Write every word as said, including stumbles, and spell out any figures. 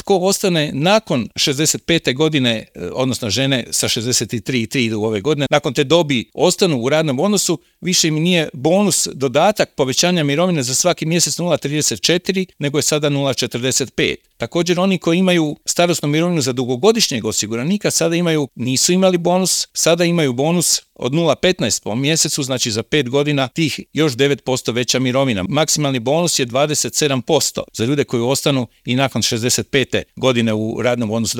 tko ostane nakon šezdeset pete godine, odnosno žene sa šezdeset tri i tri idu ove godine, nakon te dobi ostanu u radnom odnosu, više im nije bonus dodatak povećanja mirovine za svaki mjesec nula zarez trideset četiri, nego je sada nula zarez četrdeset pet. Također oni koji imaju starosnu mirovinu za dugogodišnjeg osiguranika sada imaju, nisu imali bonus, sada imaju bonus od nula zarez petnaest po mjesecu, znači za pet godina tih još devet posto veća mirovina. Maksimalni bonus je dvadeset sedam posto za ljude koji ostanu i nakon šezdeset pete godine u radnom odnosu.